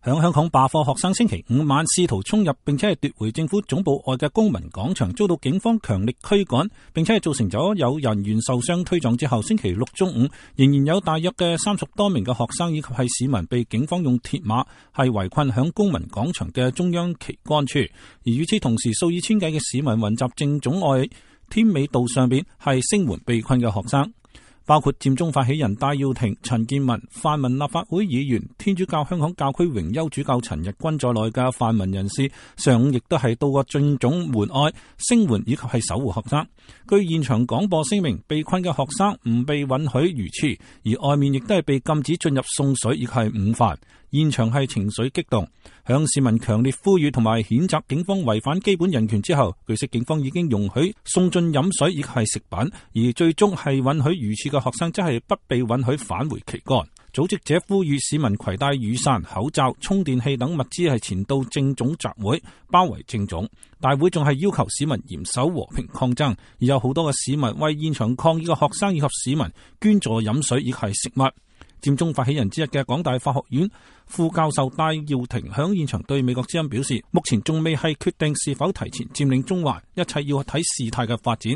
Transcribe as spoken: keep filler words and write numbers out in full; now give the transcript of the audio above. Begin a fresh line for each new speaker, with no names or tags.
響香港罷課學生星期五晚試圖衝入並且係奪回政府總部外嘅公民廣場，遭到警方強力驅趕，並且係造成咗有人員受傷推撞之後，星期六中午仍然有大約嘅三十多名嘅學生以及係市民被警方用鐵馬係圍困響公民廣場嘅中央旗杆處，而與此同時，數以千計嘅市民雲集政總外添美道上邊係聲援被困嘅學生。包括佔中發起人戴耀廷、陳健民、泛民立法會議員、天主教香港教區榮休主教陳日君在內嘅泛民人士，上午亦都係到過政總門外聲援以及係守護學生。據現場廣播聲明，被困嘅學生唔被允許如廁，而外面亦都係被禁止進入送水以及係午飯。現場係情緒激動，向市民強烈呼籲同埋譴責警方違反基本人權之後，據悉警方已經容許送進飲水以及係食品，而最終係允許如廁嘅學生則係不被允許返回旗杆。組織者呼籲市民攜帶雨傘、口罩、充電器等物資係前到政總集會，包圍政總。大會仲係要求市民嚴守和平抗爭，而有好多嘅市民為現場抗議嘅學生以及市民捐助飲水以及係食物。佔中發起人之一嘅港大法學院副教授戴耀廷響現場對美國之音表示，目前仲未係決定是否提前佔領中環，一切要睇事態嘅發展。